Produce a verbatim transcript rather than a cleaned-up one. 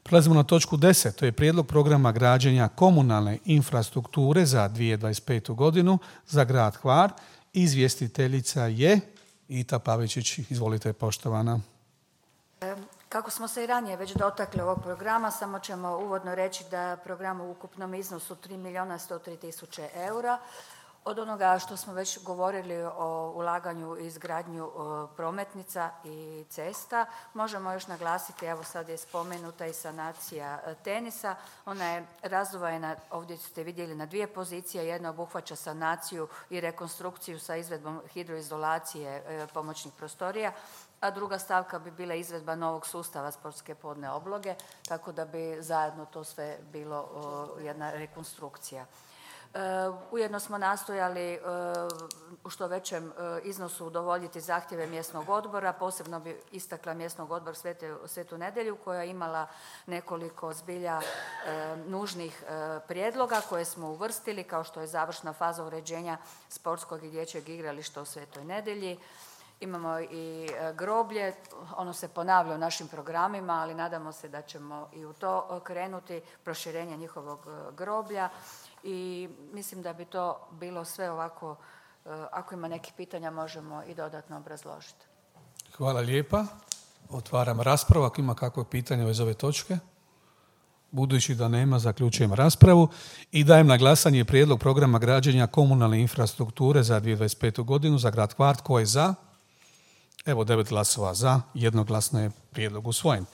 Prelazimo na točku deset, to je prijedlog programa građenja komunalne infrastrukture za dvije tisuće dvadeset petu godinu za grad Hvar. Izvjestiteljica je Ita Pavičić. Izvolite, poštovana. Kako smo se i ranije već dotakli ovog programa, samo ćemo uvodno reći da program u ukupnom iznosu tri milijuna sto tri tisuće eura. Od onoga što smo već govorili o ulaganju i izgradnju prometnica i cesta, možemo još naglasiti, evo sad je spomenuta i sanacija tenisa. Ona je razdvojena, ovdje ste vidjeli, na dvije pozicije. Jedna obuhvaća sanaciju i rekonstrukciju sa izvedbom hidroizolacije pomoćnih prostorija, a druga stavka bi bila izvedba novog sustava sportske podne obloge, tako da bi zajedno to sve bilo jedna rekonstrukcija. Ujedno smo nastojali u što većem iznosu udovoljiti zahtjeve mjesnog odbora. Posebno bi istakla mjesnog odbor Svetu Nedjelju koja je imala nekoliko zbilja nužnih prijedloga koje smo uvrstili, kao što je završna faza uređenja sportskog i dječjeg igrališta u Svetoj Nedjelji. Imamo i groblje, ono se ponavlja u našim programima, ali nadamo se da ćemo i u to krenuti, proširenje njihovog groblja. I mislim da bi to bilo sve ovako, ako ima nekih pitanja možemo i dodatno obrazložiti. Hvala lijepa. Otvaram raspravu. Ako ima kakvo pitanje uz ove točke? Budući da nema, zaključujem raspravu i dajem na glasanje prijedlog programa građenja komunalne infrastrukture za dvije tisuće dvadeset petu godinu za grad Hvar. Tko je za? Evo, devet glasova za, jednoglasno je prijedlog usvojen.